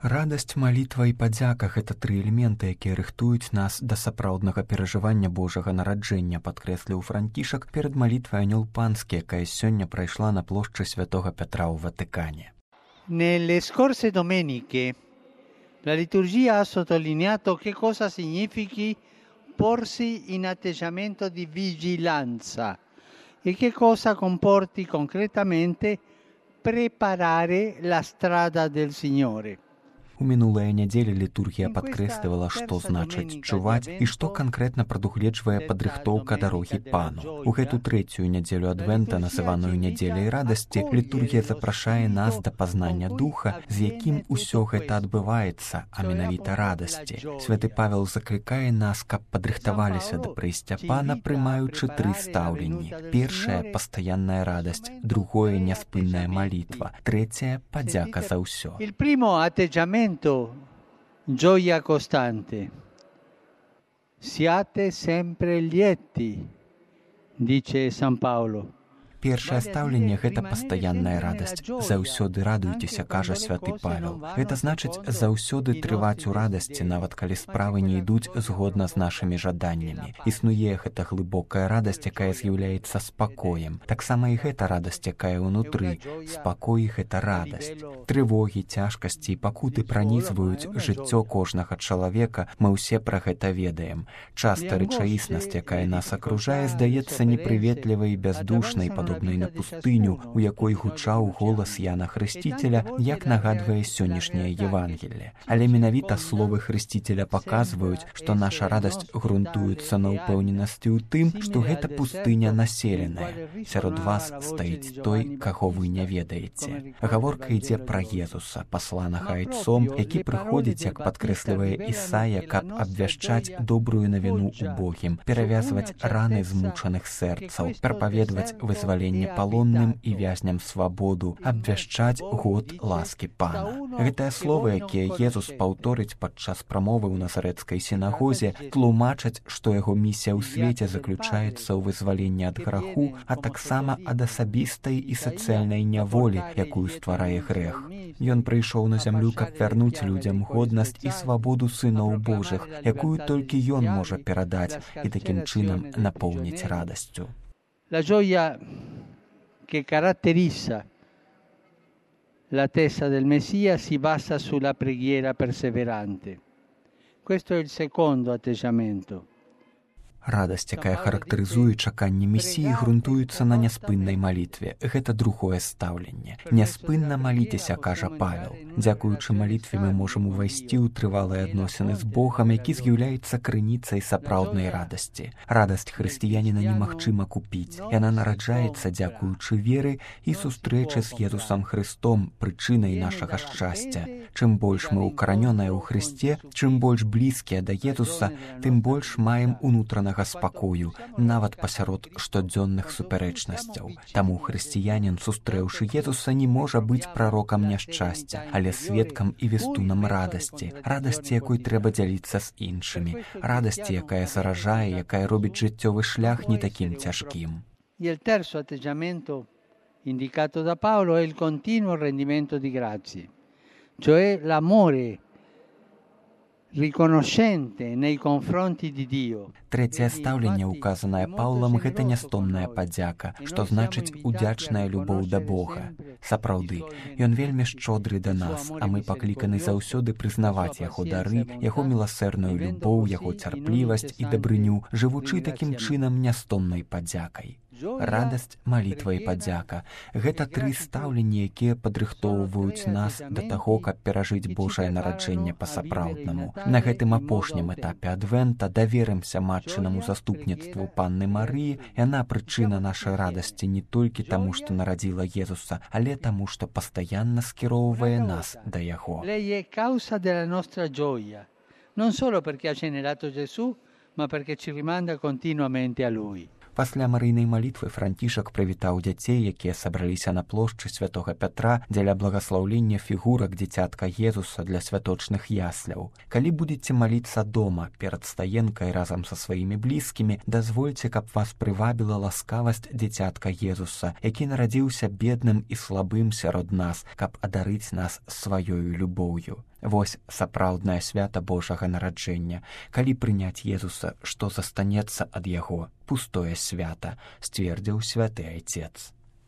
Радасць, малітва і падзяка – гэта тры элементы, якія рыхтуюць нас да сапраўднага перажывання Божага нараджэння, падкрэсліў Францішак перад малітвай Анёл Панскі, якая сёння прайшла на плошчы Святога Пятра ў Ватыкане. Nelle scorse domeniche la liturgia ha sottolineato che cosa significhi porsi in atteggiamento di vigilanza e che cosa comporti concretamente preparare la strada del Signore. У мінулыя нядзелі літургія падкрэслівала, што значыць чуваць і што канкрэтна прадугледжвае падрыхтоўка дарогі Пану. У гэту трэцюю нядзелю Адвента, называную нядзеляй радасці, літургія запрашае нас да пазнання духа, з якім усё гэта адбываецца, а менавіта радасці. Святы Павел заклікае нас, каб падрыхтаваліся да прыйсця Пана, прымаючы тры стаўленні. Першае – пастаянная радасць, другое – няспынная малітва, трэцяе – падзяка за ўсё. Il primo atteggiamento gioia costante. Siate sempre lieti, dice San Paolo. Першае стаўленне – гэта пастаянная радасць. Заўсёды радуйцеся, кажа святы Павел. Гэта значыць заўсёды трываць у радасці, нават калі справы не ідуць згодна з нашымі жаданнямі. Існуе гэта глыбокая радасць, якая з'яўляецца спакоем. Таксама і гэта радасць, якая ўнутры. Спакой – гэта радасць. Трывогі, цяжкасці і пакуты пранізваюць жыццё кожнага чалавека, мы ўсе пра гэта ведаем. Часта рэчаіснасць, якая нас акружае, здаецца непрыветлівай і бяздушнай, падобнай на пустыню, у якой гучаў голас Яна Хрысціцеля, як нагадвае сённяшняе Евангелле. Але менавіта словы Хрысціцеля паказваюць, што наша радасць грунтуецца на ўпэўненасці ў тым, што гэта пустыня населеная. Сярод вас стаіць той, каго вы не ведаеце. Гаворка ідзе пра Езуса, пасланага айцом, які прыходзіць, як падкрэслівае Ісая, каб абвяшчаць добрую навіну убогім, перавязваць раны змучаных сэрцаў, прапаведваць вызваленне палонным і вязням свабоду, абвяшчаць год ласкі Пана. Гэтыя словы, якія Езус паўторыць падчас прамовы ў назарэцкай сінагозе, тлумачаць, што яго місія ў свеце заключаецца ў вызваленні ад граху, а таксама ад асабістай і сацыяльнай няволі, якую стварае грэх. Ён прыйшоў на зямлю, каб вярнуць людзям годнасць і свабоду сыноў Божых, якую толькі ён можа перадаць і такім чынам напоўніць радасцю. La gioia che caratterizza l'attesa del Messia si basa sulla preghiera perseverante. Questo è il secondo atteggiamento. Радасць, якая характарызуе чаканне Месіі, грунтуецца на няспыннай малітве. Гэта другое стаўленне. Няспынна маліцеся, кажа Павел. Дзякуючы малітве мы можам увайсці ў трывалыя адносіны з Богам, які з'яўляецца крыніцай сапраўднай радасці. Радасць хрысціяніна немагчыма купіць. Яна нараджаецца дзякуючы веры і сустрэчы з Езусам Хрыстом, прычынай нашага шчасця. Чым больш мы укаранёныя ў Хрысце, чым больш блізкія да Езуса, тым больш маем унутранага спакою, нават пасярод штодзённых супярэчнасцяў. Таму хрысціянін, сустрэўшы Езуса, не можа быць прарокам няшчасця, але сведкам і вестунам радасці, радасці, якой трэба дзяліцца з іншымі, радасці, якая заражае, якая робіць жыццёвы шлях не такім цяжкім. Il terzo atteggiamento indicato da Paolo è il continuo rendimento di grazie, cioè l'amore riconoscente nei confronti di Dio. Трэцяе стаўленне, указанае Паўлам, гэта нястомная падзяка, што значыць удзячная любоў да Бога. Сапраўды, ён вельмі шчодры да нас, а мы пакліканы заўсёды прызнаваць яго дары, яго міласэрную любоў, яго цярплівасць і дабрыню, жывучы такім чынам нястомнай падзякай. Радасць, малітва і падзяка – гэта тры стаўленні, якія падрыхтоўваюць нас да таго, каб перажыць Божае нараджэнне па-сапраўднаму. На гэтым апошнім этапе Адвента даверымся матчынаму заступніцтву Панны Марыі. Яна прычына нашай радасці не толькі таму, што нарадзіла Езуса, але таму, што пастаянна скіроўвае нас да яго. Lei è causa della nostra gioia, non solo perché ha generato Gesù, ma perché ci rimanda continuamente a Lui. Пасля марыйнай малітвы Францішак прывітаў дзяцей, якія сабраліся на плошчы Святога Пятра дзеля благаслаўлення фігурак дзіцятка Езуса для святочных ясляў. Калі будзеце маліцца дома перад стаенкай разам са сваімі блізкімі, дазвольце, каб вас прывабіла ласкавасць дзіцятка Езуса, які нарадзіўся бедным і слабым сярод нас, каб адарыць нас сваёю любоўю. Вось сапраўднае свята Божага нараджэння. Калі прыняць Езуса, што застанецца ад яго? Пустое свята, сцвердзіў святы айцец.